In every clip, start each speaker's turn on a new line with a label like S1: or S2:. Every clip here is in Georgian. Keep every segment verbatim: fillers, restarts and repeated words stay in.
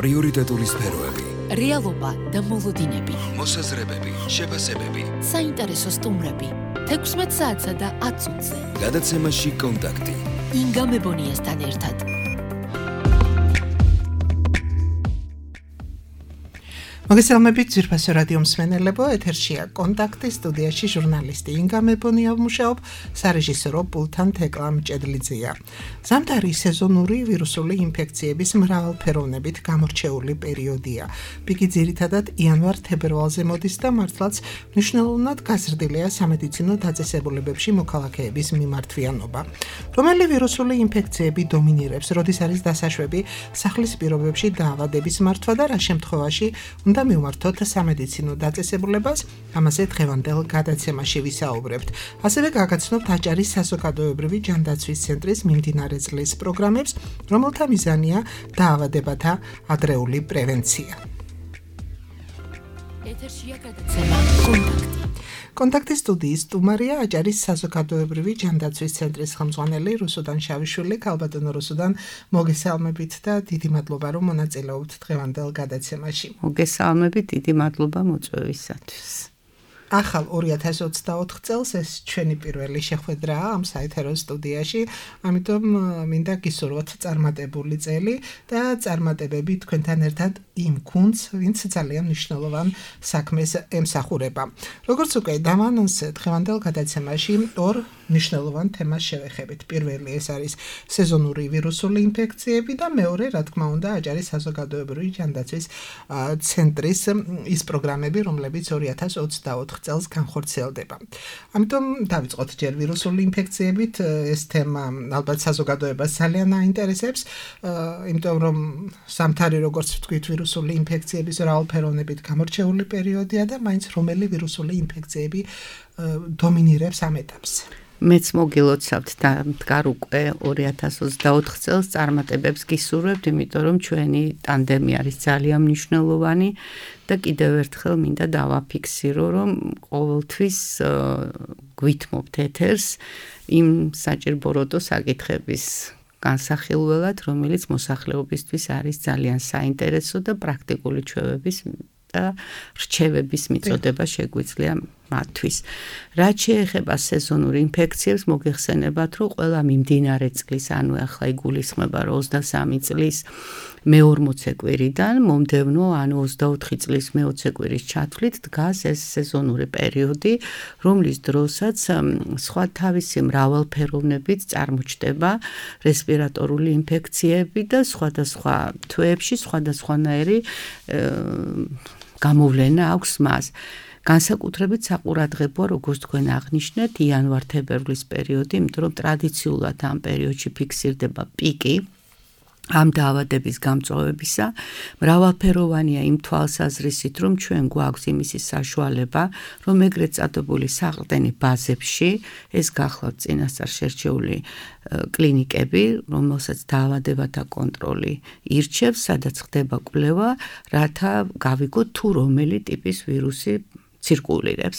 S1: პრიორიტეტული სფეროები,
S2: რეალობა და მოლოდინები,
S1: მოსაზრებები, შეფასებები,
S2: საინტერესო სტუმრები, თექვსმეტ საათსა და ათ წუთზე.
S1: გადაცემაში კონტაქტი.
S2: ინგა მებონიასთან ერთად.
S3: მოგესალმებით ძვირფასო რადიო მსმენელებო, ეთერშია კონტაქტი, სტუდიაში ჟურნალისტი ინგა მებონია ვმუშაობ, სარეჟისორო პულტთან თეკლა მჭედლიძეა. ზამთარი სეზონური ვირუსული ინფექციების მრავალფეროვნებით გამორჩეული პერიოდია. პიკი ძირითადად იანვარ-თებერვალზე მოდის და მართლაც მნიშვნელოვნად გაზრდილია სამედიცინო დაწესებულებებში მოქალაქეების მიმართვიანობა. რომელი ვირუსული ინფექციები დომინირებს, როდის არის დასაშვები სახლის პირობებში დაავადების მართვა და რა შემთხვევაში უნდა მივმართოთ სამედიცინო დაწესებულებას, ამაზე დღევანდელ გადაცემაში ვისაუბრებთ. ასევე გაგაცნობთ აჭარის საზოგადოებრივი ჯანდაცვის ცენტრის მიმდინარე წლის პროგრამებს, რომელთა მიზანია დაავადებათა ადრეული პრევენცია.
S2: ეთერშია გადაცემა კონტაქტი.
S3: კონტაქტის სტუდიის სტუმარია აჭარის საზოგადოებრივი ჯანდაცვის ცენტრის ხელმძღვანელი რუსუდან შავიშვილი. ქალბატონო რუსუდან, მოგესალმებით და დიდი მადლობა რომ მონაწილეობთ დღევანდელ გადაცემაში.
S4: მოგესალმებით, დიდი მადლობა მოწვევისათვის.
S3: ახალ ორი ათას ოცდაოთხ წელს ეს ჩვენი პირველი შეხვედრაა ამ საეთერო სტუდიაში, ამიტომ მინდა გისურვოთ წარმატებული წელი და წარმატებები თქვენთან ერთად იმ გუნდს, ვინც ძალიან მნიშვნელოვან საქმეს ემსახურება. როგორც უკვე დავანონსეთ, დღევანდელ გადაცემაში ორ მნიშვნელოვან თემას შევეხებით. პირველი ეს არის სეზონური ვირუსული ინფექციები და მეორე, რა თქმა უნდა, აჭარის საზოგადოებრივი ჯანდაცვის ცენტრის ის პროგრამები, რომლებიც ორი ათას ოცდაოთხ წელს განხორციელდება. ამიტომ დავიწყოთ ჯერ ვირუსული ინფექციებით, ეს თემა ალბათ საზოგადოებას ძალიან აინტერესებს, იმიტომ რომ ზამთარი, როგორც ვთქვით, ვირუსული ინფექციების მრავალფეროვნებით გამორჩეული პერიოდია და მაინც რომელი ვირუსული ინფექციები დომინირებს ამ ეტაპს.
S4: მეც მოგილოცავთ და მდგარ უკვე ორი ათას ოცდაოთხ წელს წარმატებებს გისურვებთ, იმიტომ რომ ჩვენი ტანდემი არის ძალიან მნიშვნელოვანი და კიდევ ერთხელ მინდა დავაფიქსირო, რომ ყოველთვის გვითმობთ ეთერს იმ საჭირბოროტო საკითხების განსახილველად, რომელიც მოსახლეობისთვის არის ძალიან საინტერესო და პრაქტიკული ჩვევების და რჩევების მიწოდება შეგვიძლია მათთვის. რაც შეეხება სეზონურ ინფექციებს, მოგეხსენებათ, რომ ყველა მიმდინარე წლის, ანუ ახლა იგულისხმება რომ ოცდასამი წლის მეორმოცე კვირიდან მომდევნო, ანუ ოცდაოთხი წლის მეოცე კვირის ჩათვლით დგას ეს სეზონური პერიოდი, რომლის დროსაც სხვა თავისი მრავალფეროვნებით წარმოჩნდება რესპირატორული ინფექციები და სხვადასხვა თვეებში სხვადასხვანაირი გამოვლენა აქვს მას. განსაკუთრებით საყურადღებოა, როგორც თქვენ აღნიშნეთ, იანვარ-თებერვლის პერიოდი, იმიტომ რომ ტრადიციულად ამ პერიოდში ფიქსირდება პიკი ამ დაავადების გამწვავებისა. მრავალფეროვანია იმ თვალსაზრისით, რომ ჩვენ გვაქვს იმისი საშუალება, რომ ეგრეთ წოდებული საყრდენი ბაზებში, ეს გახლავთ წინასწარ შერჩეული კლინიკები, რომელსაც დაავადებათა კონტროლი ირჩევს, სადაც ხდება კვლევა, რათა გავიგოთ თუ რომელი ტიპის ვირუსი ცირკულირებს.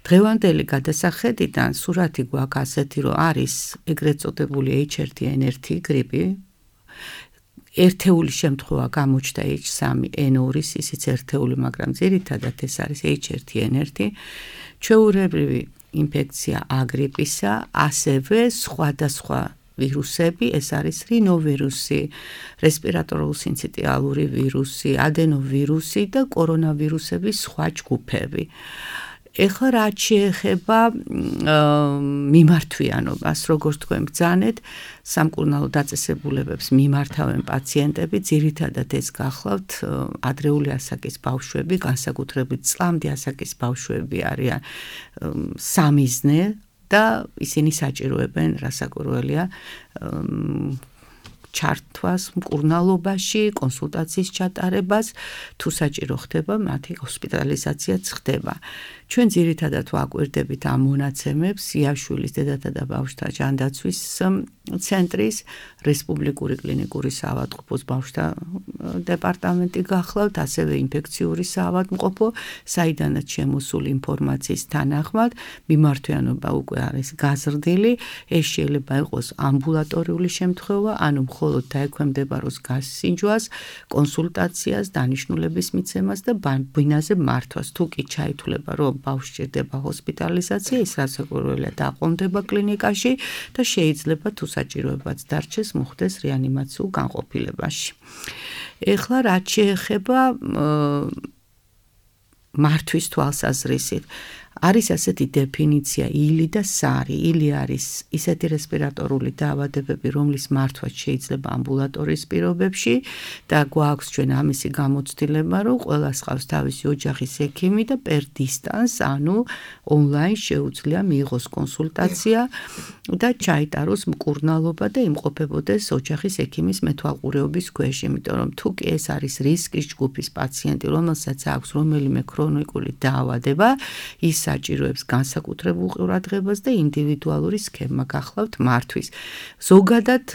S4: დღევანდელი გადასახედიდან სურათი გვაქვს ასეთი, რომ არის ეგრეთ წოდებული ეიჩ ერთ ენ ერთი გრიპი, ერთეული შემთხვევა გამოჩნდა ეიჩ სამი ენ ორი, ისიც ერთეული, მაგრამ ძირითადად ეს არის ეიჩ ერთ ენ ერთი, ჩვეულებრივი ინფექცია აგრიპისა, ასევე სხვადასხვა ვირუსები, ეს არის რინოვირუსი, რესპირატორულ-სინციტიალური ვირუსი, ადენოვირუსი და კორონავირუსების სხვა ჯგუფები. ეხლა რაც შეეხება მიმართვიანობას, როგორც თქვენ ბრძანეთ, სამკურნალო დაწესებულებებს მიმართავენ პაციენტები, ძირითადად ეს გახლავთ ადრეული ასაკის ბავშვები, განსაკუთრებით წლამდე ასაკის ბავშვები არიან სამიზნე და ისინი საჭიროებენ, რასაკვირველია, ჩართვას მკურნალობაში, კონსულტაციის ჩატარებას, თუ საჭირო ხდება, მათი ჰოსპიტალიზაციაც ხდება. ჩვენ ძირითადად ვაკვირდებით ამ მონაცემებს იაშვილის დედათა და ბავშვთა ჯანდაცვის ცენტრის, რესპუბლიკური კლინიკური საავადმყოფოს ბავშვთა დეპარტამენტი გახლავთ, ასევე ინფექციური საავადმყოფო, საიდანაც შემოსული ინფორმაციის თანახმად მიმართვიანობა უკვე არის გაზრდილი, ეს შეიძლება იყოს ამბულატორიული შემთხვევა, ანუ მხოლოდ დაექვემდებაროს გასინჯვას, კონსულტაციას, დანიშნულების მიცემას და ბინაზე მართვას. თუ კი ჩაითვლება, რომ ბავშვი სჭირდება ჰოსპიტალიზაცია, ის რასაკვირველია დაყრდნობა კლინიკაში და შეიძლება თუ საჭიროებაც დარჩეს, მოხდეს რეანიმაციულ განყოფილებაში. ეხლა რაც შეეხება მართვის თვალსაზრისით, არის ასეთი დეფინიცია ილი და სარი. ილი არის ისეთი რესპირატორული დაავადებები, რომლის მართვაც შეიძლება ამბულატორიის პირობებში და გვაქვს ჩვენ ამისი გამოცდილება, რომ ყველას ყავს თავისი ოჯახის ექიმი და per distance, ანუ ონლაინ შეუძლია მიიღოს კონსულტაცია და ჩაიტაროს მკურნალობა და იმყოფებოდეს ოჯახის ექიმის მეთვალყურეობის ქვეშ, იმიტომ რომ თუ კი ეს არის რისკის ჯგუფის პაციენტი, რომელსაც აქვს რომელიმე ქრონიკული დაავადება, ის საჭიროებს განსაკუთრებულ ყურადღებას და ინდივიდუალური სქემა გახლავთ მართვის. ზოგადად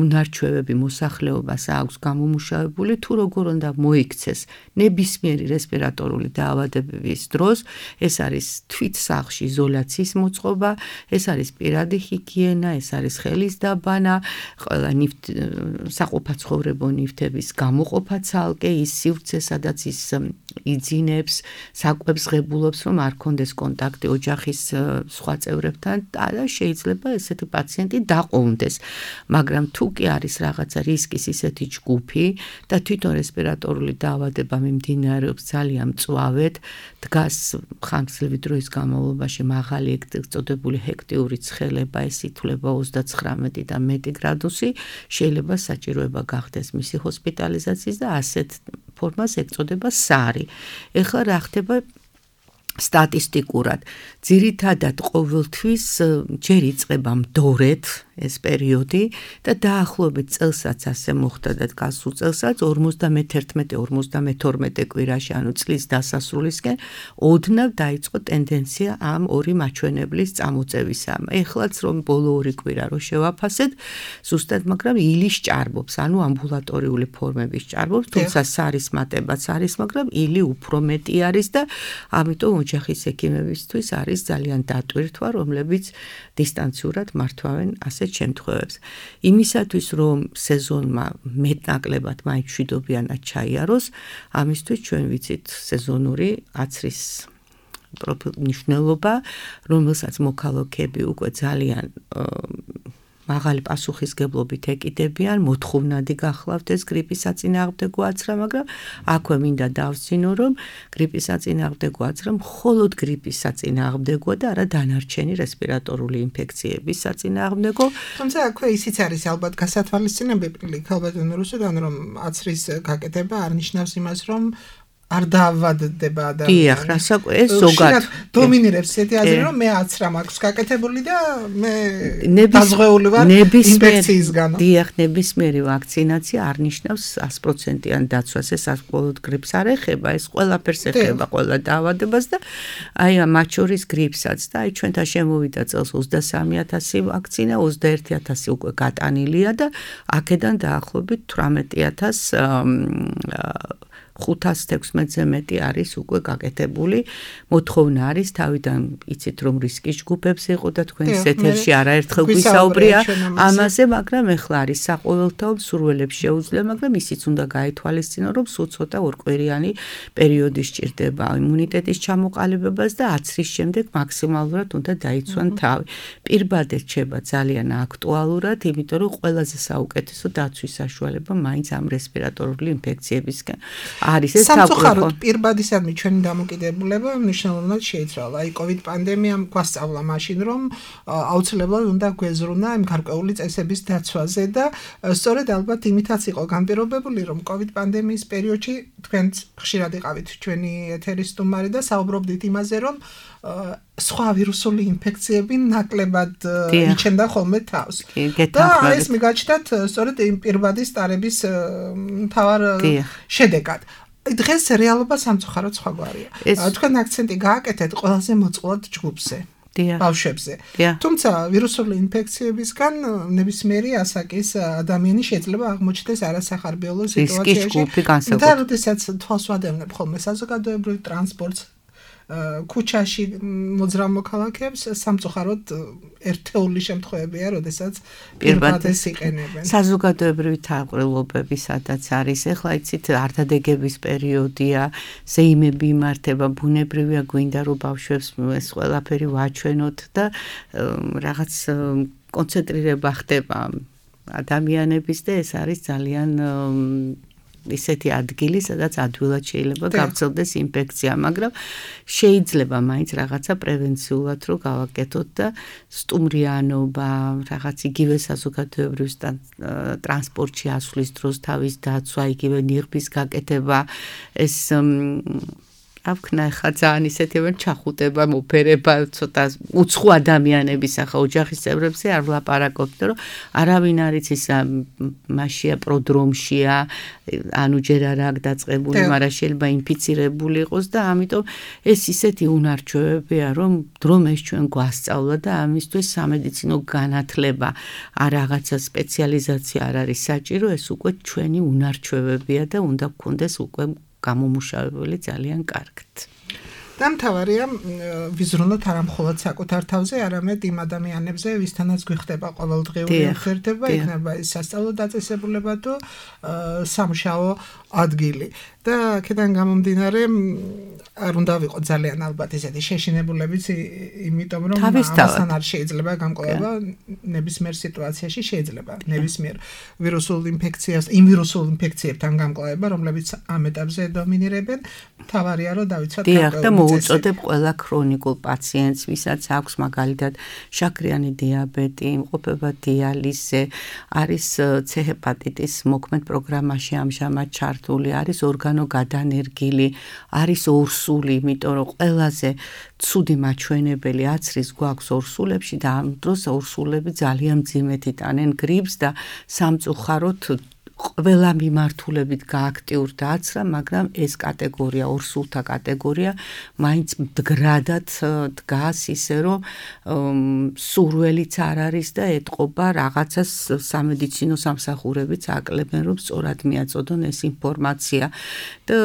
S4: უნარჩვევები მოსახლეობას აქვს გამომუშავებული, თუ როგორ უნდა მოიქცეს ნებისმიერი რესპირატორული დაავადებების დროს, ეს არის თვით სახლში იზოლაციის მოწყობა, ეს არის პირადი ჰიგიენა, ეს არის ხელის დაბანა, ყველა საყოფაცხოვრებო ნივთების გამოყოფა ცალკე, ის სივრცე, სადაც ის იძინებს, საკვებს ღებულობს, რომ არ კონდეს კონტაქტი ოჯახის სხვა წევრებთან და შეიძლება ესეთი პაციენტი დაყოვნდეს. მაგრამ თუ კი არის რაღაცა რისკის ისეთი ჯგუფი და თვითონ რესპირატორული დაავადება მიმდინარეობს ძალიან მწვავედ, დგას ხანგრძლივი დროის განმავლობაში მაღალი ეგრეთ წოდებული ჰექტიური ცხელება, ეს ითვლება ოცდაცხრამეტი და მეტი გრადუსი, შეიძლება საჭიროება გახდეს მისი ჰოსპიტალიზაციის და ასეთ ფორმას ეწოდება სარი. ეხლა რა ხდება სტატისტიკურად? ძირითადად ყოველთვის ჯერ იწყება მდორედ ეს პერიოდი და დაახლოებით წელსაც ასე მოხდა და გასულ წელსაც ორმოცდამეთერთმეტე ორმოცდამეთორმეტე კვირაში, ანუ წლის დასასრულისკენ ოდნავ დაიწყო ტენდენცია ამ ორი მაჩვენებლის წამოწევისა. ეხლაც რომ ბოლო ორი კვირა რო შევაფასეთ, ზუსტად, მაგრამ ილის ჭარბობს, ანუ ამბულატორიული ფორმების ჭარბობს, თუმცა სარის მატებაც არის, მაგრამ ილი უფრო მეტი არის და ამიტომ ოჯახის ექიმებისთვის არის ძალიან დატვირთვა, რომლებიც დისტანციურად მართვავენ ასეთ შემთხვევებს. იმისათვის, რომ სეზონმა მეტნაკლებად მაინც მშვიდობიანად ჩაიაროს, ამისთვის ჩვენ ვიცით სეზონური აცრის მნიშვნელობა, რომელსაც მოქალაქეები უკვე ძალიან მაღალი პასუხისგებლობით ეკიდებიან, მოთხოვნადი გახლავთ ეს გრიპის საწინააღმდეგო აცრა, მაგრამ აქვე მინდა დავსინო, რომ გრიპის საწინააღმდეგო აცრა მხოლოდ გრიპის საწინააღმდეგოა და არა დანარჩენი რესპირატორული ინფექციების საწინააღმდეგო.
S3: თუმცა აქვე ისიც არის ალბათ გასათვალისწინებელი, ქალბატონო რუსუდან, რომ აცრის გაკეთება არ ნიშნავს იმას, რომ არ დაავადდება ადამიანი.
S4: დიახ, რასაკვირველია, ეს ზოგადად
S3: დომინირებს ესეთი აზრი, რომ მე აცრა მაქვს გაკეთებული და მე დაზღვეული ვარ ინფექციისგან.
S4: დიახ, ნებისმიერი ვაქცინაცია არ ნიშნავს ას პროცენტიან დაცვას, ეს მხოლოდ გრიპს არ ეხება, ეს ყველაფერს ეხება, ყველა დაავადებას და აი მათ შორის გრიპსაც და აი ჩვენთან შემოვიდა წელს ოცდასამი ათასი ვაქცინა, ოცდაერთი ათასი უკვე გატანილია და აქედან დაახლოებით თვრამეტი ათასი ხუთას თექვსმეტზე მეტი არის უკვე გაკეთებული. მოთხოვნა არის თავიდან იცით რომ რისკის ჯგუფებს იყო და თქვენს ეთერში არაერთხელ გვისაუბრია ამაზე, მაგრამ ეხლა არის საყოველთაო სურველებს შეუძლია, მაგრამ ისიც უნდა გაეთვალისწინო, რომ სულ ცოტა ორკვირიანი პერიოდი სჭირდება იმუნიტეტის ჩამოყალიბებას და აცრის შემდეგ მაქსიმალურად უნდა დაიცვან თავი. პირბადე რჩება ძალიან აქტუალურად, იმიტომ რომ ყველაზე საუკეთესო დაცვის საშუალება მაინც ამ რესპირატორული ინფექციებისგან არის ეს
S3: სამწუხაროდ პირბადისადმი ჩვენი დამოკიდებულება მნიშვნელოვნად შეიცვალა. აი COVID პანდემიამ გვასწავლა მაშინ, რომ აუცილებლად უნდა გვეზრუნა იმ გარკვეული წესების დაცვაზე და სწორედ ალბათ იმითაც იყო განპირობებული, რომ COVID პანდემიის პერიოდში თქვენც ხშირად იყავით ჩვენი ეთერის სტუმარი და საუბრობდით იმაზე, რომ სხვა ვირუსული ინფექციები ნაკლებად იჩენდა ხოლმე თავს. და ეს მიგაჩნდათ სწორედ იმ პირბადის ტარების მთავარ შედეგად. დღეს რეალობა სამწუხაროდ სხვაგვარია. თქვენ აქცენტი გააკეთეთ ყველაზე მოწყვლად ჯგუფზე. ბავშვებზე. თუმცა ვირუსული ინფექციებისგან ნებისმიერი ასაკის ადამიანი შეიძლება აღმოჩნდეს არასახარბიელო სიტუაციაში და როდესაც თვალს ვადევნებ ხოლმე საზოგადოებრივ ტრანსპორტს ქუჩაში მოძრავ მოქალაქეებს სამწუხაროდ ერთეული შემთხვევებია, როდესაც პირბადეს იყენებენ.
S4: საზოგადოებრივი თაყრილობები სადაც არის, ეხლა იცით ართადეგების პერიოდია, ზეიმები იმართება, ბუნებრივია გვინდა რომ ბავშვებს ეს ყველაფერი ვაჩვენოთ და რაღაც კონცენტრირება ხდება ადამიანების და ეს არის ძალიან ისეთი ადგილი, სადაც ადვილად შეიძლება გავრცელდეს ინფექცია, მაგრამ შეიძლება მაინც რაღაცა პრევენციულად რო გავაკეთოთ და სტუმრიანობა, რაღაც იგივე საზოგადოებრივ ტრანსპორტში ასვლის დროს თავის დაცვა, იგივე ნიღბის გაკეთება, ეს ავქნა ხა ძალიან ისეთივენ ჩახუტება, მოფერება, ცოტა უცხო ადამიანების ახლა ოჯახის წევრებზე არ ვლაპარაკობთ, რომ არავინ არის ის მასია პროდრომშია, ანუ ჯერ არა აქ დაწყებული, მაგრამ შეიძლება ინფიცირებული იყოს და ამიტომ ეს ისეთი უნარჩვევებია, რომ დრომ ეს ჩვენ გვასწავლა და ამისთვის სამედიცინო განათლება, არ რაღაცა სპეციალიზაცია არ არის საჭირო, ეს უკვე ჩვენი უნარჩვევებია და უნდა გქონდეს უკვე გამომუშავებული ძალიან კარგად.
S3: დამთავარია ვიზრუნოთ არა მხოლოდ საკუთარ თავზე, არამედ იმ ადამიანებზე, ვისთანაც გვიხდება ყოველდღიური ურთიერთობა, იქნება ის სასწავლო დაწესებულება თუ სამუშაო ადგილი. და აქედან გამომდინარე არ უნდა ვიყოთ ძალიან ალბათ ესეთი შეშინებულებიც, იმიტომ რომ ამასთან არ შეიძლება გამკლება ნებისმიერ სიტუაციაში შეიძლება ნებისმიერ ვირუსულ ინფექციას, იმ ვირუსულ ინფექციებთან გამკლება, რომლებიც ამ ეტაპზე დომინირებენ, თავარია რომ დავიცვათ
S4: გარკვეული უწოდებ ყველა ქრონიკულ პაციენტს, ვისაც აქვს მაგალითად შაქრიანი დიაბეტი, იმყოფება დიალიზზე, არის C ჰეპატიტის მოქმედ პროგრამაში ამჟამად ჩართული, არის ორგანო გადანერგილი, არის ორსული, იმიტომ რომ ყველაზე ცუდი მაჩვენებელი აცრის გვაქვს ორსულებში და ამ დროს ორსულები ძალიან მძიმედ იტანენ გრიპს და სამწუხაროდ ყველა მიმართულებით გააქტიურდა აცრა, მაგრამ ეს კატეგორია, ორსულთა კატეგორია, მაინც მდგრადად დგას ისე, რომ სურველიც არ არის და ეტყობა რაღაცას სამედიცინო სამსახურებიც აკლებენ, რომ სწორად მიაწოდონ ეს ინფორმაცია და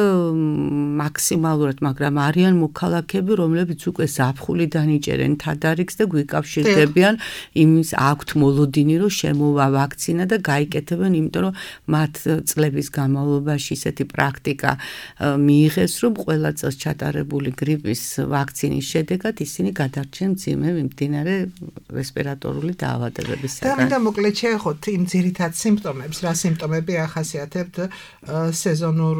S4: მაქსიმალურად, მაგრამ არიან მოქალაქეები, რომლებიც უკვე ზაფხულიდან იჭერენ თადარიგს და გვიკავშირდებიან, იმის აქვთ მოლოდინი, რომ შემოვა ვაქცინა და გაიკეთებენ, იმიტომ რომ მათ წლების განმავლობაში ისეთი პრაქტიკა მიიღეს, რომ ყველა წელს ჩატარებული გრიპის ვაქცინის შედეგად ისინი გადარჩენ მძიმე მიმდინარე რესპირატორული დაავადებებისგან.
S3: და მინდა მოკლედ შეეხოთ იმ ძირითად სიმპტომებს, რა სიმპტომები ახასიათებთ სეზონურ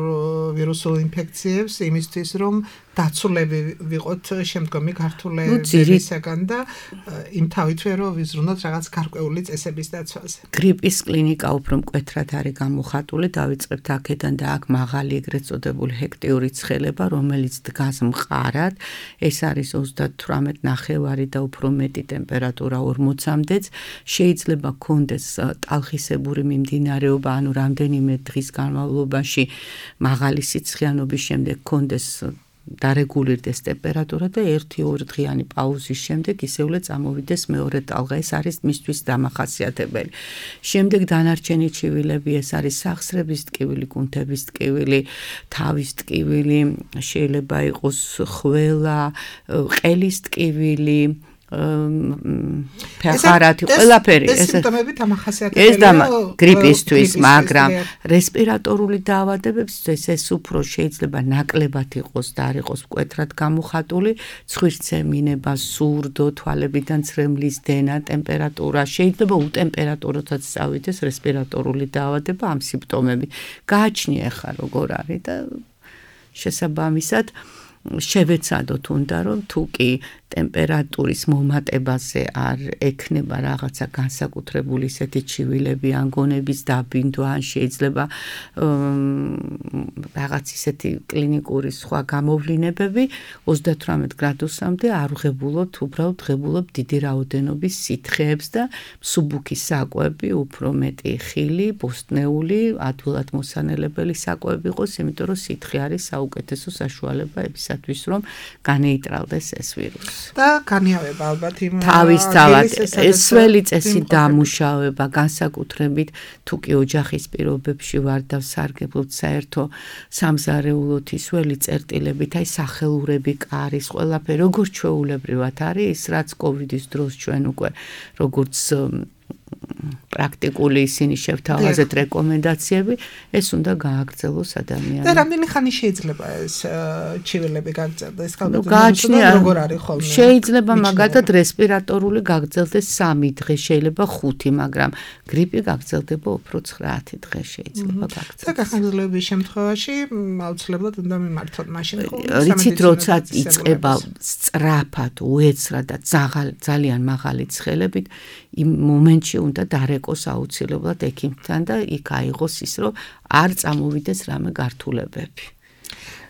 S3: ვირუსულ ინფექციებს, იმისთვის რომ დაცულები ვიყოთ შემდგომი გართულებისგან და იმ თავითვე რომ ვიზრუნოთ რაღაც გარკვეული წესების დაცვაზე.
S4: გრიპის კლინიკა უფრო მკვეთრად არის გამოხატული, დავიწყებთ აქედან და აქ მაღალი ეგრეთ წოდებული ჰექტიური ცხელება, რომელიც დგას მყარად, ეს არის ოცდათვრამეტ ნახევარი და უფრო მეტი ტემპერატურა ორმოცამდეც, შეიძლება გქონდეს ტალხისებური მიმდინარეობა, ანუ რამდენიმე დღის განმავლობაში მაღალი სიცხიანობის შემდეგ გქონდეს დარეგულირდეს ტემპერატურა და ერთი-ორი დღიანი პაუზის შემდეგ ისევლე წამოვიდეს მეორე ტალღა, ეს არის მისთვის დამახასიათებელი. შემდეგ დანარჩენი ჩივილები, ეს არის სახსრების ტკივილი, კუნთების ტკივილი, თავის ტკივილი, შეიძლება იყოს ხველა, ყელის ტკივილი, ფეხარათი, ყველაფერი.
S3: ეს სიმპტომები დამახასიათებელია.
S4: ეს დამა გრიპისთვის, მაგრამ რესპირატორული დაავადებებისთვის ეს უფრო შეიძლება ნაკლებად იყოს და არ იყოს მკვეთრად გამოხატული, ცხვირცემინება, სურდო, თვალებიდან ცრემლის დენა, ტემპერატურა, შეიძლება უტემპერატუროთაც წავიდეს რესპირატორული დაავადება, ამ სიმპტომები. გააჩნია ხა როგორ არის და შესაბამისად შევეცადოთ უნდა რომ თუ კი ტემპერატურის მომატებაზე არ ექნება რაღაცა განსაკუთრებული ისეთი ჩივილები ან გონების დაბინდვა ან შეიძლება რაღაც ისეთი კლინიკური სხვა გამოვლინებები ოცდათვრამეტ გრადუსამდე არ ვღებულობთ, უბრალოდ ვღებულობთ დიდი რაოდენობის სითხეებს და მსუბუქი საკვები, უფრო მეტი ხილი, ბოსტნეული, ადვილად მოსანელებელი საკვები იყოს, იმიტომ რომ სითხე არის საუკეთესო საშუალება იმისათვის, რომ განეიტრალდეს ეს ვირუსი.
S3: და განიავება ალბათ იმ
S4: თავისთავად ეს ძველი წესი დამუშავება, განსაკუთრებით თუ კი ოჯახის პირობებში ვარ და ვსარგებლობთ საერთო სამზარეულოთი ძველი წერტილებით, აი სახელურები, კარის, ყველაფერი როგორც ჩვეულებრივად არის, ის რაც კოვიდის დროს ჩვენ უკვე როგორც პრაქტიკული ისინი შევთავაზეთ რეკომენდაციები, ეს უნდა გააგრძელოს ადამიანს.
S3: და რამდენი ხანი შეიძლება ეს ჩივილები გაგრძელდეს?
S4: გააჩნია როგორ არის ხოლმე? შეიძლება მაგალითად რესპირატორული გაგრძელდეს სამი დღე, შეიძლება ხუთი, მაგრამ გრიპი გაგრძელდება უფრო ცხრა-ათი დღე შეიძლება გაგრძელდეს.
S3: და გახანგრძლივების შემთხვევაში აუცილებლად უნდა მიმართოთ მაშინ ხოლმე.
S4: რიცით როცა იწყება სწრაფად, უეცრად და ძალიან მაღალი ცხელებით, იმ მომენტში უნდა დარეკოს აუცილებლად ექიმთან და იქ აიღოს ის, რომ არ წამოვიდეს რამე გართულებები.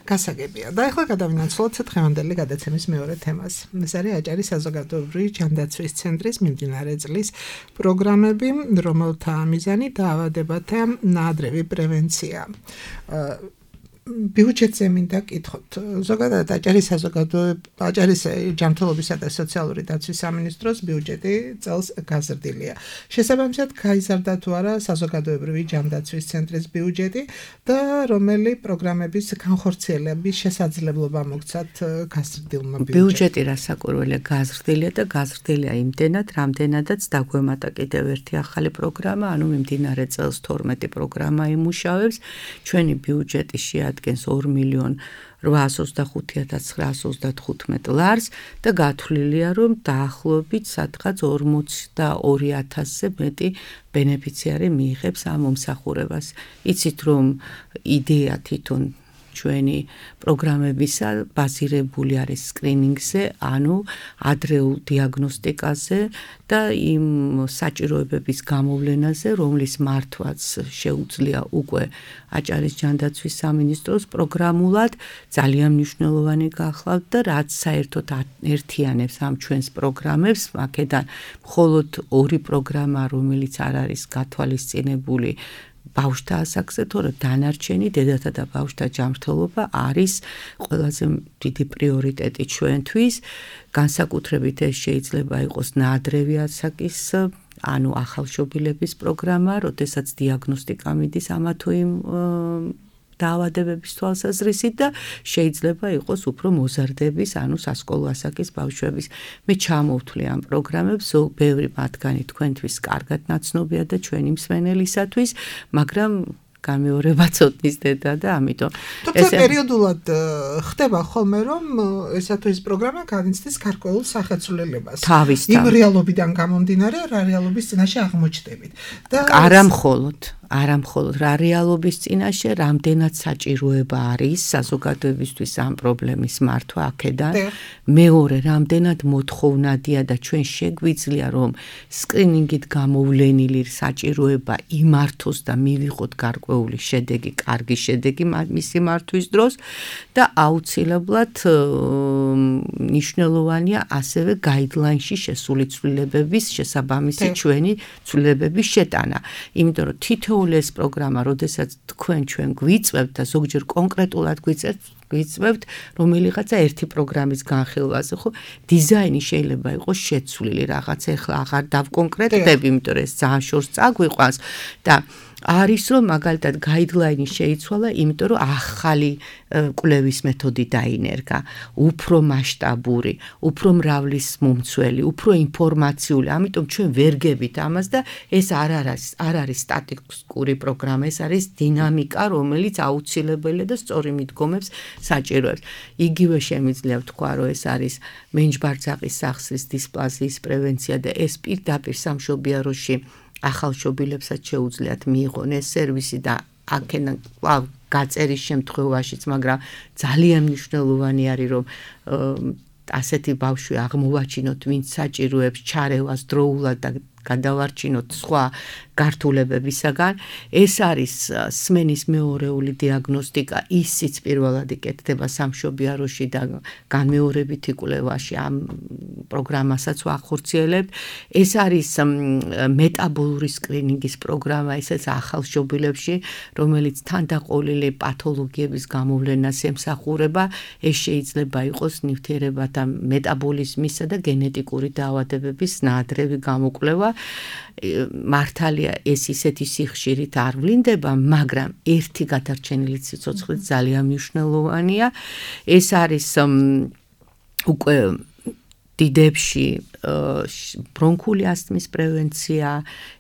S3: გასაგებია. და ახლა გადავინაცვლოთ დღევანდელი გადაცემის მეორე თემას. ეს არის აჭარის საზოგადოებრივი ჯანდაცვის ცენტრის მიმდინარე წლის პროგრამები, რომელთა მიზანი დაავადებათა ნაადრევი პრევენცია. ბიუჯეტზე მინდა კითხოთ. ზოგადად აჭარის საზოგადოება აჭარის ჯანმრთელობისა და სოციალური დაცვის სამინისტროს ბიუჯეტი წელს გაზრდილია. შესაბამისად, გაიზარდა თუ არა საზოგადოებრივი ჯანდაცვის ცენტრის ბიუჯეტი და რომელი პროგრამების განხორციელების შესაძლებლობა მოგცათ გაზრდილმა ბიუჯეტმა.
S4: ბიუჯეტი რასაკვირველია გაზრდილია და გაზრდილია იმდენად, რამდენადაც დაგვემატა კიდევ ერთი ახალი პროგრამა, ანუ მიმდინარე წელს თორმეტი პროგრამა იმუშავებს. ჩვენი ბიუჯეტი შეადგენს ორ მილიონ რვაას ოცდახუთი ათას ცხრაას ოცდათხუთმეტ ლარს და გათვლილია, რომ დაახლოებით სადღაც ორმოცდაორი ათასზე მეტი ბენეფიციარი მიიღებს ამ მომსახურებას. იცით, რომ იდეა თვითონ ჩვენი პროგრამებისა ბაზირებული არის სკრინინგზე, ანუ ადრეულ დიაგნოსტიკაზე და იმ საჭიროებების გამოვლენაზე, რომლის მართვაც შეუძლია უკვე აჭარის ჯანდაცვის სამინისტროს პროგრამულად ძალიან მნიშვნელოვანი გახლავთ და რაც საერთოდ ერთიანებს ამ ჩვენს პროგრამებს, აქედან მხოლოდ ორი პროგრამა, რომელიც არ არის გათვალისწინებული ბავშვთა ასაკზე, თორემ დანარჩენი დედათა და ბავშვთა ჯანმრთელობა არის ყველაზე დიდი პრიორიტეტი ჩვენთვის. განსაკუთრებით ეს შეიძლება იყოს ნაადრევი ასაკის, ანუ ახალშობილების პროგრამა, როდესაც დიაგნოსტიკა მიდის ამა თუ იმ დაავადებების თვალსაზრისით და შეიძლება იყოს უფრო მოზარდების, ანუ სასკოლო ასაკის ბავშვების. მე ჩამოვთვლი ამ პროგრამებს, ბევრი მათგანი თქვენთვის კარგად ნაცნობია და ჩვენი მსმენელისათვის, მაგრამ გამეორება ცოტნის დედა და ამიტომ
S3: ეს პერიოდულად ხდება ხოლმე, რომ ესა თუ ის პროგრამა განიცდის გარკვეულ სახეცვლილებას. იმ რეალობიდან გამომდინარე, რა რეალობის წინაშე აღმოჩნდებით. და
S4: არა მხოლოდ არა მხოლოდ რა რეალობის წინაშე, რამდენად საჭიროება არის საზოგადოებისთვის ამ პრობლემის მართვა აქედან. მეორე, რამდენად მოთხოვნადია და ჩვენ შეგვიძლია, რომ სკრინინგით გამოვლენილი საჭიროება იმართოს და მივიღოთ გარკვეული შედეგი, კარგი შედეგი მისი მართვის დროს და აუცილებლად მნიშვნელოვანია ასევე გაიდლაინში შესული ცვლილებების შესაბამისი ჩვენი ცვლილებების შეტანა. იმიტომ რომ თითო ეს პროგრამა, როდესაც თქვენ ჩვენ გვიწევთ და ზოგჯერ კონკრეტულად გვიწევთ, გვიწევთ რომელიღაცა ერთი პროგრამის განხილვაზე, ხო, დიზაინი შეიძლება იყოს შეცვლილი რაღაც, ეხლა აღარ დავკონკრეტდები, იმიტომ რომ ეს ძალიან შორს წაგვიყვანს და არის რომ მაგალითად გაიდლაინი შეიცვალა, იმიტომ რომ ახალი კვლევის მეთოდი დაინერგა, უფრო მასშტაბური, უფრო მრავლის მომცველი, უფრო ინფორმაციული, ამიტომ ჩვენ ვერ გებით ამას და ეს არ არის არ არის სტატისტიკური პროგრამა, ეს არის დინამიკა, რომელიც აუცილებელია და სწორი მიდგომებს საჭიროებს. იგივე შემიძლია ვთქვა, რომ ეს არის მენჯბარძაყის სახსრის დისპლაზიის პრევენცია და ეს პირდაპირ სამშობიაროში ახალშობილებსაც შეუძლიათ მიიღონ ეს სერვისი და აქედან გაწერის შემთხვევაშიც, მაგრამ ძალიან მნიშვნელოვანი არის, რომ ასეთი ბავშვი აღმოვაჩინოთ, ვინც საჭიროებს ჩარევას დროულად და გადავარჩინოთ სხვა გართულებებისაგან. ეს არის სმენის მეორეული დიაგნოსტიკა, ისიც პირველად იკეთდება სამშობიაროში და განმეორებითი კვლევაში ამ პროგრამასაც ვახორციელებთ. ეს არის მეტაბოლური სკრინინგის პროგრამა, ესეც ახალშობილებში, რომელიც თანდაყოლილი პათოლოგიების გამოვლენას ემსახურება. ეს შეიძლება იყოს ნივთიერებათა მეტაბოლიზმისა და გენეტიკური დაავადებების ნაადრევი გამოკვლევა. მართალია ეს ისეთი სიხშირით არ ვლინდება, მაგრამ ერთი გადარჩენილი სიცოცხლე ძალიან მნიშვნელოვანია. ეს არის უკვე დიდებში ბრონქული ასთმის პრევენცია,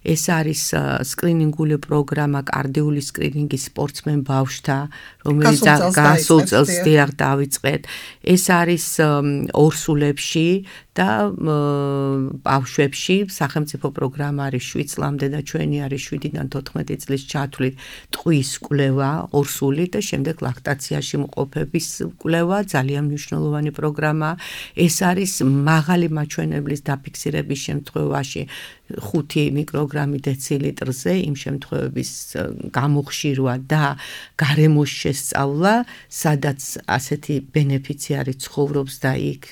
S4: ეს არის სკრინინგული პროგრამა კარდიული სკრინინგის სპორტსმენ ბავშვთა, რომელიც გასულ წელს დაიწყეთ. ეს არის ორსულებში და ბავშვებში სახელმწიფო პროგრამა არის შვიდ წლამდე და ჩვენი არის შვიდიდან თოთხმეტი წლის ჩათვლით ტყვის კვლევა ორსული და შემდეგ ლაქტაციაში მყოფების კვლევა, ძალიან მნიშვნელოვანი პროგრამა. ეს არის მაღალი მაჩვენებლის დაფიქსირების შემთხვევაში ხუთი მიკროგრამი დეცილიტრზე, იმ შემთხვევების გამოხშირვა და გარემოს შესწავლა, სადაც ასეთი ბენეფიციარი ცხოვრობს და იქ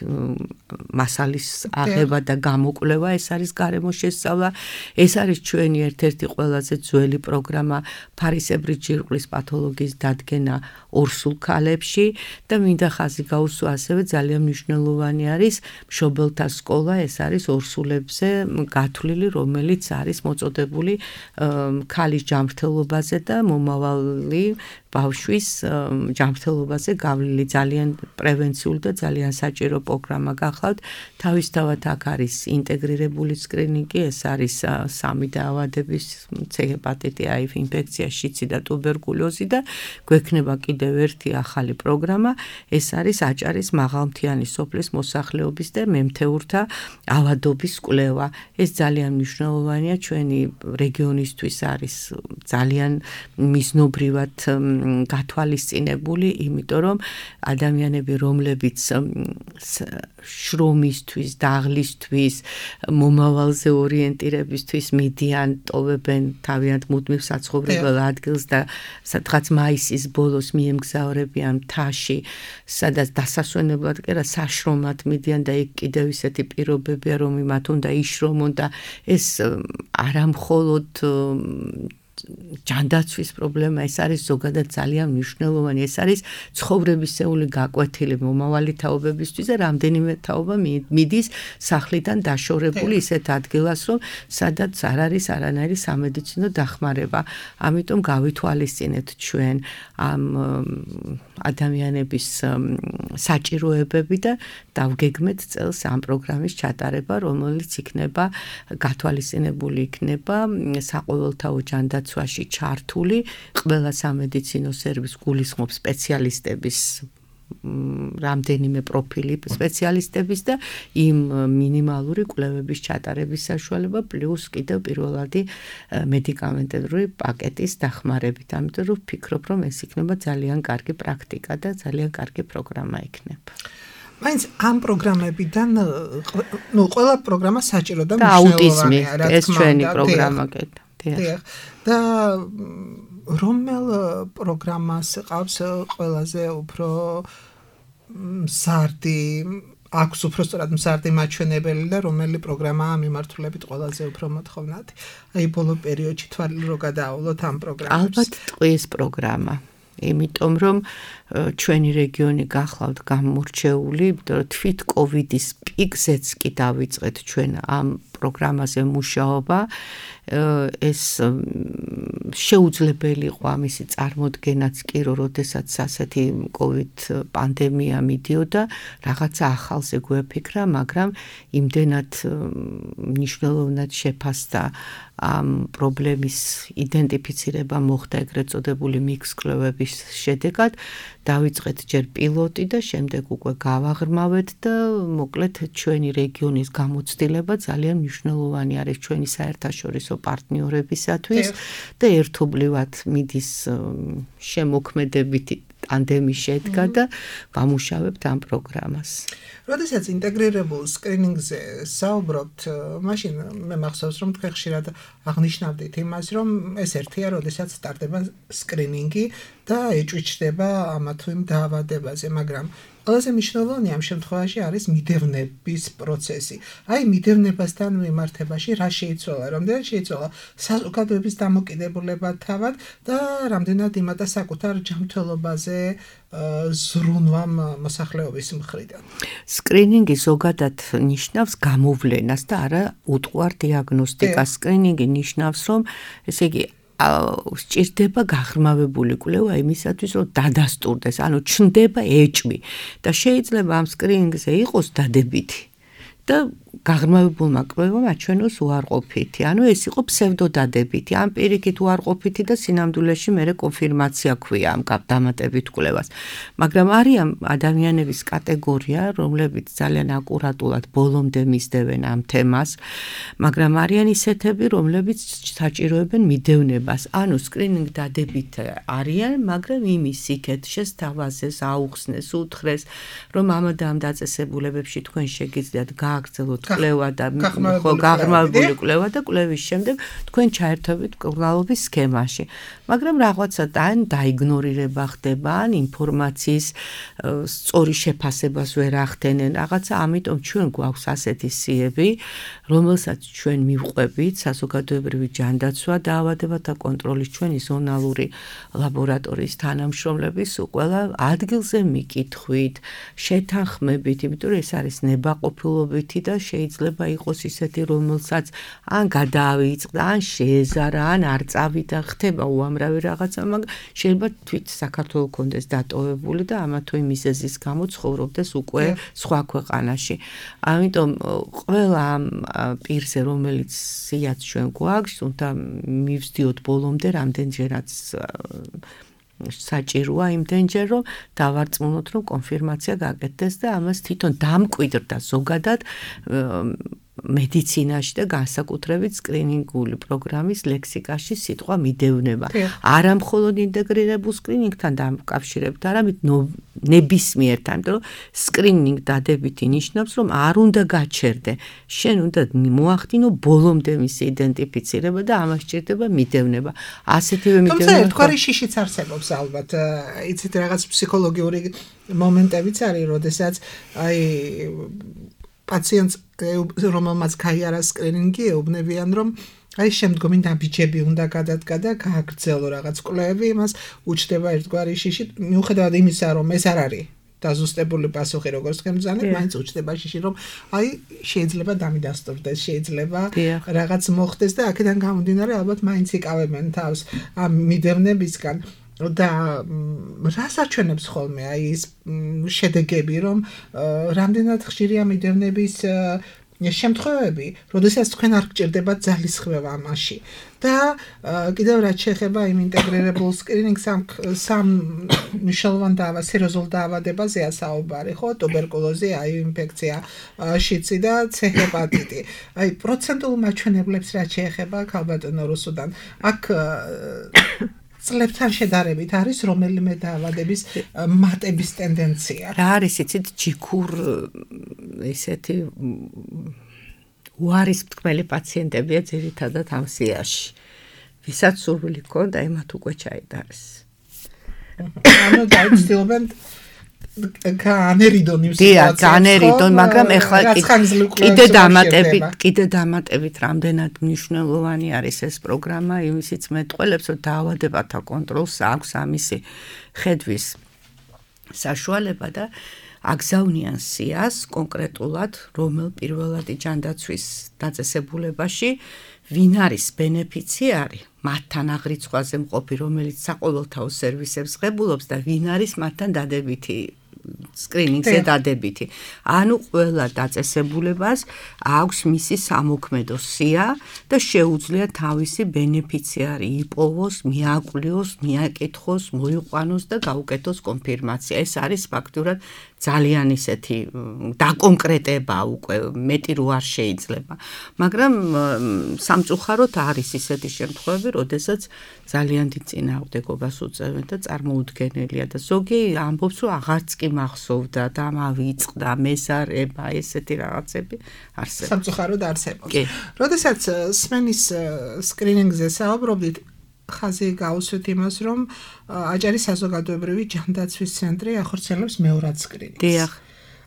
S4: მასალის აღება და გამოკვლევა, ეს არის გარემოს შესწავლა. ეს არის ჩვენი ერთ-ერთი ყველაზე ძველი პროგრამა ფარისებრი ჯირკვლის პათოლოგიის დადგენა ორსულ ქალებში და მინდა ხაზი გაუსვა ასევე ძალიან მნიშვნელოვანი არის მშობელთა სკოლა, ეს არის ორსულებზე გათვლილი, რომელიც არის მოწოდებული ქალის ჯანმრთელობაზე და მომავალი ბავშვის ჯანმრთელობაზე გავლილი. ძალიან პრევენციული და ძალიან საჭირო პროგრამა გახლავთ. თავისთავად აქ არის ინტეგრირებული სკრინინგი, ეს არის სამი დაავადების C ჰეპატიტი, A ინფექცია, შიცი და ტუბერკულოზი და გვექნება კიდევ ერთი ახალი პროგრამა, ეს არის აჭარის მაღალმთიანი სოფლის მოსახლეობის და მემთეურთა ავადობის კვლევა. ეს ძალიან მნიშვნელოვანია ჩვენი რეგიონისთვის, არის ძალიან მიზნობრივად გათვალისწინებული, იმიტომ რომ ადამიანები, რომლებიც შრომისთვის, დაღლისთვის, მომავალზე ორიენტირებისთვის მიდიან, ტოვებენ თავიანთ მუდმივ საცხოვრებელ ადგილს და სადღაც მაისის ბოლოს მიემგზავრებიან მთაში, სადაც დასასვენებლად კი არა, საშრომად მიდიან და იქ კიდევ ისეთი პირობებია, რომ მათ უნდა იშრომონ და ეს არა მხოლოდ ჯანდაცვის პრობლემა, ეს არის ზოგადად ძალიან მნიშვნელოვანი, ეს არის ცხოვრებისეული გაკვეთილი მომავალი თაობებისთვის და რამდენიმე თაობა მიდის სახლიდან დაშორებული ისეთ ადგილას, რომ სადაც არ არის არანაირი სამედიცინო დახმარება. ამიტომ გავითვალისწინეთ ჩვენ ამ ადამიანების საჭიროებები და დავგეგმეთ წელს ამ პროგრამის ჩატარება, რომელიც იქნება გათვალისწინებული იქნება საყოველთაო ჯანდაცვაში ჩართული ყველა სამედიცინო სერვისს გულისხმობს სპეციალისტების რამდენიმე პროფილი სპეციალისტების და იმ მინიმალური კვლევების ჩატარების საშუალება პლუს კიდევ პირველადი მედიკამენტური პაკეტის დახმარებით. ამიტომ რომ ვფიქრობ, რომ ეს იქნება ძალიან კარგი პრაქტიკა და ძალიან კარგი პროგრამა იქნება.
S3: მაინც ამ პროგრამებიდან ნუ ყველა პროგრამა საჭირო და მნიშვნელოვანია, რა თქმა უნდა.
S4: ეს ჩვენი პროგრამა კიდე.
S3: და რომელ პროგრამას ყავს ყველაზე უფრო მზარდი, აქვს უფრო სწორად მზარდი მაჩვენებელი და რომელი პროგრამაა მიმართულებით ყველაზე უფრო მოთხოვნადი? აი ბოლო პერიოდში თვალე რო გადაავლოთ ამ პროგრამებს.
S4: ალბათ ტყვის პროგრამა. იმიტომ რომ ჩვენი რეგიონი გახლავთ გამორჩეული, იმიტომ რომ თვით კოვიდის პიკზეც კი დავიწყეთ ჩვენ ამ პროგრამაზე მუშაობა. ეს შეუძლებელი იყო ამისი წარმოდგენაც კი, რომ როდესაც ასეთი კოვიდ პანდემია მიდიოდა, რაღაცა ახალზე გვეფიქრა, მაგრამ იმდენად მნიშვნელოვნად შეფასდა ამ პრობლემის იდენტიფიცირება მოხდა ეგრეთ წოდებული მიქს კვლევების შედეგად, დავიწყეთ ჯერ პილოტი და შემდეგ უკვე გავაღრმავეთ და მოკლედ ჩვენი რეგიონის გამოცდილება ძალიან მნიშვნელოვანი არის ჩვენი საერთაშორისო პარტნიორებისათვის და ერთობლივად მიდის შემოქმედებითი ტანდემი შედგა და ვამუშავებთ ამ პროგრამას.
S3: როდესაც ინტეგრირებულ სკრინინგზე საუბრობთ, მაშინ მე მახსოვს, რომ თქვენ ხშირად აღნიშნავდით იმას, რომ ეს ერთია, როდესაც სტარტდება სკრინინგი და ეჭვიჩდება ამა თუ იმ დაავადებაზე, მაგრამ ყველაზე მნიშვნელოვანი ამ შემთხვევაში არის მიდევნების პროცესი. აი მიდევნებასთან მიმართებაში რა შეიცვალა, რამდენად შეიცვალა საზოგადოების დამოკიდებულება თავად და რამდენად იმატა საკუთარ ჯანმრთელობაზე ზრუნვამ მოსახლეობის მხრიდან.
S4: სკრინინგი ზოგადად ნიშნავს გამოვლენას და არა უტყუარ დიაგნოსტიკას. სკრინინგი ნიშნავს, რომ ესე იგი სჭირდება გაღრმავებული კვლევა იმისათვის, რომ დადასტურდეს, ანუ ჩნდება ეჭვი და შეიძლება ამ სკრინინგზე იყოს დადებითი და გაღრმავებულმა კვლევამ აჩვენოს უარყოფითი. ანუ ეს იყო ფსევდოდადებითი, ამ პირიქით უარყოფითი და სინამდვილეში მერე კონფირმაცია ქვია ამ დამატებით კვლევას. მაგრამ არიან ადამიანების კატეგორია, რომლებიც ძალიან აკურატულად ბოლომდე მისდევენ ამ თემას, მაგრამ არიან ისეთები, რომლებიც საჭიროებენ მიდევნებას. ანუ სკრინინგ დადებით არიან, მაგრამ იმის იქეთ შესთავაზეს, აუხსნეს, უთხრეს, რომ ამ და ამ დაწესებულებებში თქვენ შეგიძლიათ გააგრძელოთ კვლევა და ხო გაღრმავებული კვლევა და კვლევის შემდეგ თქვენ ჩაერთვებით კვლავობის სქემაში. მაგრამ რაღაცა ან დაიგნორირება ხდება, ან ინფორმაციის სწორი შეფასებას ვერ ახდენენ. რაღაცა ამიტომ ჩვენ გვაქვს ასეთი სიები, რომელსაც ჩვენ მივყვებით საზოგადოებრივი ჯანდაცვა დაავადებათა კონტროლის ჩვენი ზონალური ლაბორატორიის თანამშრომლების ყველა ადგილზე მიკითხვით, შეთანხმებით, იმიტომ რომ ეს არის ნებაყოფილობითი და შეიძლება იყოს ისეთი, რომელსაც ან გადაავიწყდა, ან შეეზარა, ან არ წავიდა, ხდება უამრავი რაღაცა, მაგრამ შეიძლება თვით საქართველოს კონდეს დატოვებული და ამა თუ იმ მიზეზის გამო ცხოვრობდეს უკვე სხვა ქვეყანაში. ამიტომ ყველა ამ პირზე, რომელიც სიაც ჩვენ გვაქვს, უნდა მივსდიოთ ბოლომდე რამდენჯერაც საჭიროა იმდენჯერ, რომ დავარწმუნოთ, რომ კონფირმაცია გაკეთდეს და ამას თვითონ დამკვიდრდა ზოგადად მედიცინაში და განსაკუთრებით სკრინინგული პროგრამის ლექსიკაში სიტყვა მიდევნება. არა მხოლოდ ინტეგრირებულ სკრინინგთან დამკავშირებით, არამედ ნებისმიერთან, იმიტომ რომ სკრინინგ დადებითი ნიშნავს, რომ არ უნდა გაჩერდე. შენ უნდა მოახდინო ბოლომდე მისი იდენტიფიცირება და ამას სჭირდება მიდევნება. ასეთივე მიდევნება.
S3: თუმცა ერთგვარი შიშიც არსებობს ალბათ. იცით რაღაც ფსიქოლოგიური მომენტებიც არის, როდესაც აი პაციენტს რომელმაც გაიარა სკრინინგი ეუბნებიან, რომ აი შემდგომი ნაბიჯები უნდა გადადგა და გააგრძელო რაღაც კვლევები, იმას უჩნდება ერთგვარი შიში, მიუხედავად იმისა, რომ ეს არ არის დაზუსტებული პასუხი, როგორც ხემძანებ, მაინც უჩნდება შიში, რომ აი შეიძლება დამიდასტურდეს, შეიძლება რაღაც მოხდეს და აქედან გამომდინარე ალბათ მაინც იკავებენ თავს ამ მიდევნებისგან. და რას აჩვენებს ხოლმე აი ეს შედეგები, რომ რამდენად ხშირია მიდევნების შემთხვევები, როდესაც თქვენ არ გჭირდებათ ძალისხმევა ამაში. და კიდევ რაც შეეხება იმ ინტეგრირებულ სკრინინგს, სამ მნიშვნელოვან დაავად, სერიოზულ დაავადებაზეა საუბარი, ხო? ტუბერკულოზი, აი ინფექცია, შიცი და C ჰეპატიტი. აი პროცენტულ მაჩვენებლებს რაც შეეხება ქალბატონო რუსუდან, აქ წლებთან შედარებით არის რომელიმე დაავადების მატების ტენდენცია.
S4: რა არის იცით ჯიქურ ესეთი უარის მტკბელი პაციენტებია ძირითადად ამ სიაში. ვისაც სურვილი ჰქონდა, ემათ უკვე ჩაიტარეს.
S3: ანუ დაიცდილობენ განერიდონ იმ
S4: სიტუაციას. განერიდონ, მაგრამ ეხლა კიდე დამატებით, კიდე დამატებით რამდენად მნიშვნელოვანი არის ეს პროგრამა, იმისიც მეტყველებს, რომ დაავადებათა კონტროლს აქვს ამისი ხედვის საშუალება და აგზავნიან სიას კონკრეტულად რომელ პირველადი ჯანდაცვის დაწესებულებაში ვინ არის ბენეფიციარი მათთან აღრიცხვაზე მყოფი, რომელიც საყოველთაო სერვისებს ღებულობს და ვინ არის მათთან დადებითი სკრინინგზე დადებითი. ანუ ყველა დაწესებულებას აქვს მისი სამოქმედო სია და შეუძლია თავისი ბენეფიციარი იპოვოს, მიაკლიოს, მიაკითხოს, მოიყვანოს და გაუკეთოს კონფირმაცია. ეს არის ფაქტურად ძალიან ისეთი დაკონკრეტება უკვე მეტი რო არ შეიძლება. მაგრამ სამწუხაროდ არის ისეთი შემთხვევები, როდესაც ძალიან დიდ წინააღმდეგობას უწევენ და წარმოუდგენელია და ზოგი ამბობს, რომ აღარც კი მახსოვდა და მავიწყდა მეზარება, ესეთი რაღაცები არსებობს.
S3: სამწუხაროდ არსებობს. როდესაც სმენის სკრინინგზე საუბრობდით, ხაზი გაუსვით იმას, რომ აჭარის საზოგადოებრივი ჯანდაცვის ცენტრი ახორციელებს მეორად სკრინინგს.
S4: დიახ.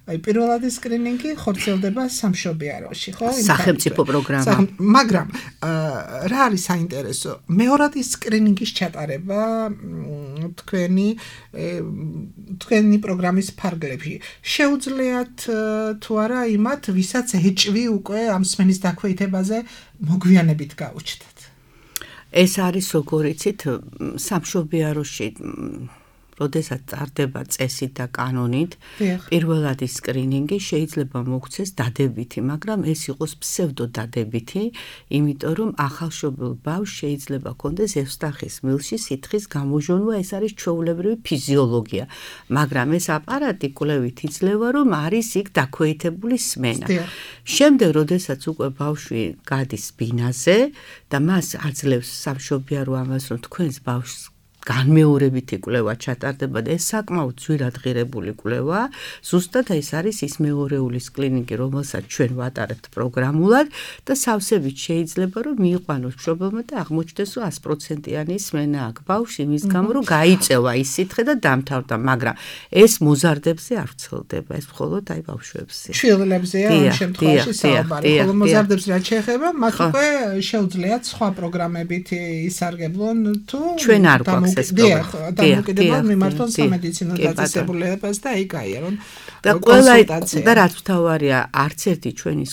S3: აი პირველადი სკრინინგი ხორციელდება სამშობიაროში, ხო?
S4: სახელმწიფო პროგრამა.
S3: მაგრამ რა არის საინტერესო? მეორადი სკრინინგის ჩატარება თქვენი თქვენი პროგრამის ფარგლებში შეუძლიათ თუ არა იმათ, ვისაც ეჭვი უკვე ამ სმენის დაქვეითებაზე მოგვიანებით გაუჩნდათ.
S4: ეს არის როგორიცით სამშობიაროში როდესაც წარდება წესით და კანონით, პირველადი სკრინინგი შეიძლება მოქცეს დადებითი, მაგრამ ეს იყოს ფსევდოდადებითი, იმიტომ რომ ახალშობილ ბავშვს შეიძლება ქონდეს ევსტახის მილში სითხის გამოჟონვა, ეს არის ჩვეულებრივი ფიზიოლოგია, მაგრამ ეს აპარატი კვლევით იძლევა, რომ არის იქ დაქვეითებული სმენა. შემდეგ, როდესაც უკვე ბავშვი გადის ბინაზე და მას აძლევს სამშობიარო ამას, რომ თქვენს ბავშვს განმეორებითი კვლევა ჩატარდება და ეს საკმაოდ ძვირად ღირებული კვლევა, ზუსტად ეს არის ის მეორეული სკრინინგი, რომელსაც ჩვენ ვატარებთ პროგრამულად და სავსებით შეიძლება რომ მიიყვანოს მშობელმა და აღმოჩნდეს, რომ sto პროცენტიანი სმენა აქვს ბავშვში, იმის გამო რომ გაიწევა ის სითხე და დამთავრდა, მაგრამ ეს მოზარდებზე არ ვრცელდება, ეს მხოლოდ აი ბავშვებზე.
S3: შვილებზეა ამ შემთხვევაში საუბარი, ხოლო მოზარდებს რაც შეეხება, მათ უკვე შეუძლიათ სხვა პროგრამებით ისარგებლონ თუ
S4: ჩვენ არ გვაქვს
S3: დიახ, დამოკიდებულად მიმართონ სამედიცინო დაწესებულებას და იქ აიერონ
S4: და ყველა და რაც მთავარია, არც ერთი ჩვენი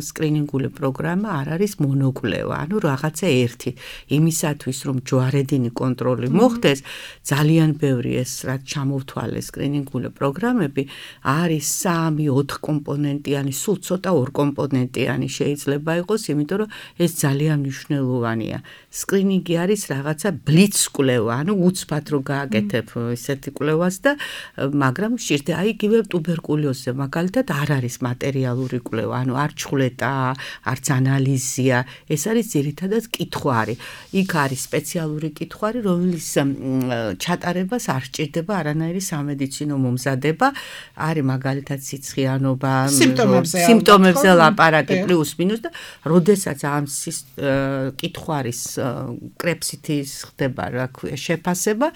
S4: სკრინინგული პროგრამა არ არის მონოკვლევა, ანუ რაღაცა ერთი. იმისათვის, რომ ჯვარედინი კონტროლი მოხდეს, ძალიან ბევრი ეს რაც ჩამოვთვალეს სკრინინგული პროგრამები, არის სამი, ოთხ კომპონენტიანი, სულ ცოტა ორ კომპონენტიანი შეიძლება იყოს, იმიტომ რომ ეს ძალიან მნიშვნელოვანია. სკრინინგი არის რაღაცა ბლიც კვლევა, ანუ უცბად რო გააკეთებ ესეთი კვლევას და მაგრამ შეიძლება აი იგივე ტუბერკულოზზე მაგალითად არ არის მატერიალური კვლევა, ანუ არ ჩხვლეტა, არც ანალიზია, ეს არის ძირითადად კითხვარი. იქ არის სპეციალური კითხვარი, რომლის ჩატარებას არ სჭირდება არანაირი სამედიცინო მომზადება, არის მაგალითად სიცხიანობა, სიმპტომებზე ლაპარაკი პლუს მინუს და როდესაც ამ კითხვარის კრეფსითი ხდება რა ქვია შეფასება,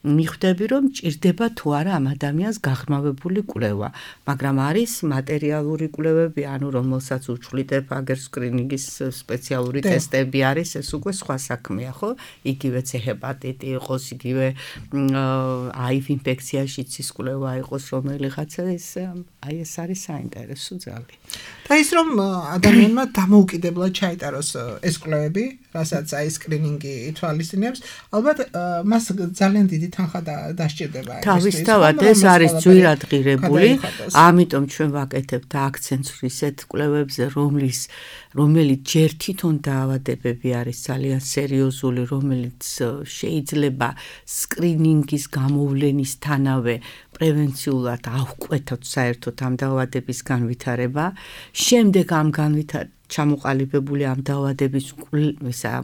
S4: მიხვდები რომ ჭირდება თუ არა ამ ადამიანს გაღრმავებული კვლევა, მაგრამ არის მატერიალური კვლევები, ანუ რომელსაც უჩვლიდება აგერ სკრინინგის სპეციალური ტესტები არის, ეს უკვე სხვა საქმეა, ხო? იგივე C ჰეპატიტი იყოს, იგივე აივ ინფექციაში ცის კვლევა იყოს, რომელიღაცა ეს აი ეს არის საინტერესო ძალიან.
S3: და ის რომ ადამიანმა დამოუკიდებლად ჩაიტაროს ეს კვლევები, რასაც აი სკრინინგი ითვალისწინებს, ალბათ მას ძალიან დიდი თანხა დასჭირდება.
S4: თავისთავად ეს არის ძვირად ღირებული, ამიტომ ჩვენ ვაკეთებთ აქცენტს ისეთ კვლევებზე, რომლის რომელიც ჯერ თვითონ დაავადებები არის ძალიან სერიოზული, რომელიც შეიძლება სკრინინგის გამოვლენისთანავე პრევენციულად ავკვეთოთ საერთოდ ამ დაავადების განვითარება, შემდეგ ამ განვითარება ჩამოყალიბებული ამ დაავადების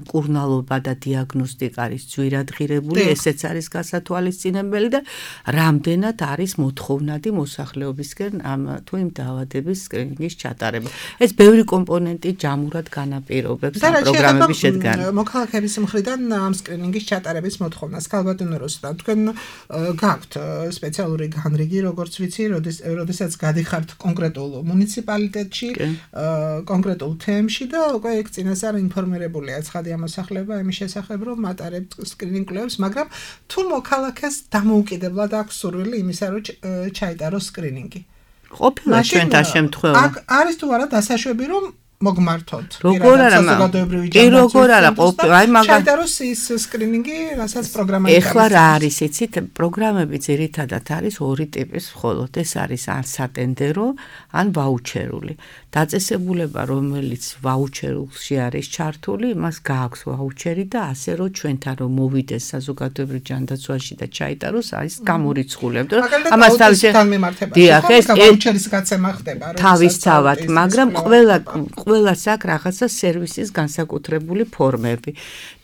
S4: მკურნალობა და დიაგნოსტიკა არის ძვირად ღირებული, ესეც არის გასათვალისწინებელი და რამდენად არის მოთხოვნადი მოსახლეობისკენ ამ თუ იმ დაავადების სკრინინგის ჩატარება. ეს ბევრი კომპონენტი ჯამურად განაპირობებს ამ პროგრამების შედგენა.
S3: მოქალაქეების მხრიდან ამ სკრინინგის ჩატარების მოთხოვნას ქალბატონო რუსტა, თქვენ გაქვთ სპეციალური განრიგი, როგორც ვიცი, როდესაც გადიხართ კონკრეტულ მუნიციპალიტეტში, კონკრეტულ თემში და უკვე ეგ წინასწარ ინფორმირებულია ცხადია მოსახლეობა იმის შესახებ, რომ მატარებთ სკრინინგ კვლევებს, მაგრამ თუ მოქალაქეს დამოუკიდებლად აქვს სურვილი იმისა, რომ ჩაიტაროს სკრინინგი.
S4: ყოფილა ჩვენთან შემთხვევა.
S3: არის თუ არა დასაშვები, რომ მოგმართოთ.
S4: როგორ არა, კი როგორ არა, აი მაგალითად
S3: ჩაიტაროს ის სკრინინგი, რასაც პროგრამა
S4: ეხლა რა არის, იცით, პროგრამები ძირითადად არის ორი ტიპის მხოლოდ, ეს არის ან სატენდერო, ან ვაუჩერული. დაწესებულება, რომელიც ვაუჩერულში არის ჩართული, იმას გააქვს ვაუჩერი და ასე რომ ჩვენთან რომ მოვიდეს საზოგადოებრივ ჯანდაცვაში და ჩაიტაროს, არის გამორიცხულებ, რომ
S3: ამას თავის განმემართებაში ვაუჩერის გაცემა ხდება, რომ
S4: თავისთავად, მაგრამ ყველა ყველას აქვს რაღაცა სერვისის განსაკუთრებული ფორმები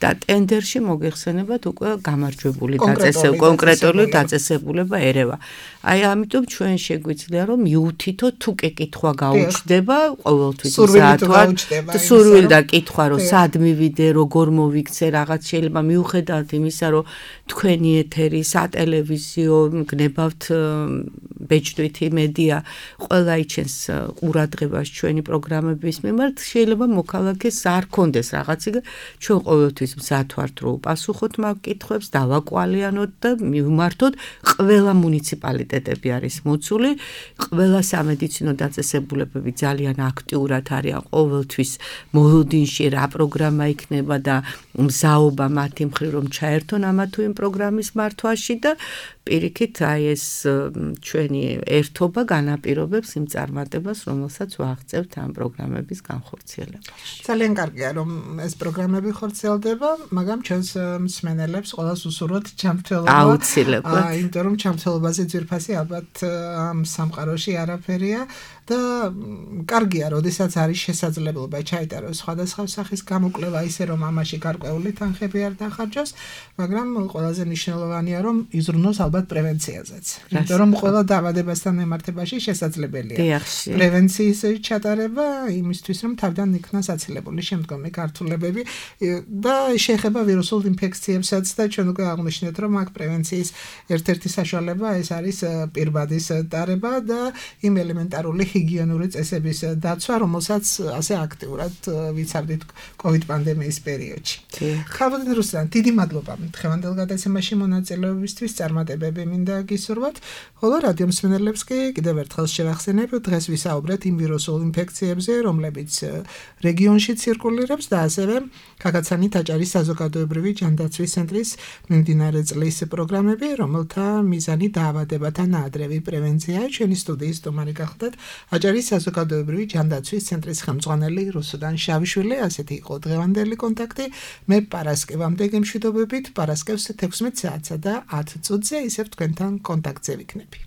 S4: და ტენდერში მოგეხსენებათ უკვე გამარჯვებული დაწესებული კონკრეტული დაწესებულება ერევა. აი ამიტომ ჩვენ შეგვიძლია რომ მიუთითოთ თუ კითხვა გაუჩნდება ყოველთვის საათვარ სურვილი და კითხვა რომ სად მივიდე, როგორ მოვიქცე, რაღაც შეიძლება მიუხედავად იმისა რომ თქვენი ეთერი, სატელევიზიო, გნებავთ ბეჭდვითი მედია, ყველა იჩენს ყურადღებას ჩვენი პროგრამების მიმართ, შეიძლება მოქალაქეს არ კონდეს რაღაცი, ჩვენ ყოველთვის მზად ვართ რომ უპასუხოთ მაგ კითხვებს, დავაკვალიანოთ და მივმართოთ. ყველა მუნიციპალიტეტები არის მოცული, ყველა სამედიცინო დაწესებულებები ძალიან აქტიურად არიან ყოველთვის მოლოდინში რა პროგრამა იქნება და მზაობა მათი მხრივ რომ ჩაერთონ ამა თუ იმ პროგრამის მართვაში და პირიქით აი ეს ჩვენი ერთობა განაპირობებს იმ წარმატებას, რომელსაც ვაღწევთ ამ პროგრამების განხორციელებაში.
S3: ძალიან კარგია რომ ეს პროგრამები ხორციელდება, მაგრამ ჩვენს მსმენელებს ყველას უსურვოთ ჩამრთელობა.
S4: აუცილებლად.
S3: იმიტომ რომ ჩამრთელობაზე ძვირფასი ალბათ ამ სამყაროში არაფერია და კარგია, როდესაც არის შესაძლებლობა ჩაიტაროს სხვადასხვა სახის გამოკვლევა, ისე რომ ამაში გარკვეული თანხები არ დახარჯოს, მაგრამ ყველაზე მნიშვნელოვანია რომ იზრუნოს ალბათ პრევენციაზეც. იმიტომ რომ ყველა დაავადებასთან მემართებაში შესაძლებელია პრევენციის ჩატარება იმისთვის, რომ თავიდან იქნას აცილებული შემდგომი გართულებები და შეეხება ვირუსულ ინფექციებსაც და ჩვენ უკვე აღვნიშნეთ, რომ აქ პრევენციის ერთ-ერთი საშუალება ეს არის პირბადის ტარება და იმ ელემენტარული ჰიგიენური წესების დაცვა, რომელსაც ასე აქტიურად ვიცავდით COVID პანდემიის პერიოდში. ხალხო რუსლან, დიდი მადლობა დღევანდელ გადაცემაში მონაწილეობისთვის, წარმატებები მინდა გისურვოთ. ხოლო რადიო მსმენელებს კი კიდევ ერთხელ შევახსენებ, დღეს ვისაუბრეთ იმ ვირუსულ ინფექციებზე, რომლებიც რეგიონში ცირკულირებს და ასევე ქაქაცანი ტაჭარის საზოგადოებრივი ჯანდაცვის ცენტრის მიმდინარე წლის პროგრამები, რომელთა მიზანი დაავადებათა ნაადრევი პრევენციაა. ჩვენი სტუდიის სტუმარი გახლდათ აჭარის საზოგადოებრივი ჯანდაცვის ცენტრის ხელმძღვანელი რუსუდან შავიშვილი. ასეთი იყო დღევანდელი კონტაქტი. მე პარასკევამდე გემშვიდობებით, პარასკევს თექვსმეტ საათსა და ათ წუთზე ისევ თქვენთან კონტაქტზე ვიქნები.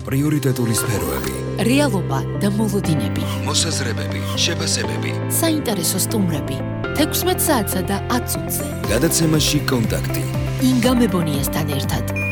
S1: პრიორიტეტული სფეროები,
S2: რეალობა და მოლოდინები,
S1: მოსაზრებები, შეფასებები,
S2: საინტერესო სტუმრები, თექვსმეტ საათსა და ათ წუთზე.
S1: გადაცემაში კონტაქტი.
S2: ინგა მებონიასთან ერთად.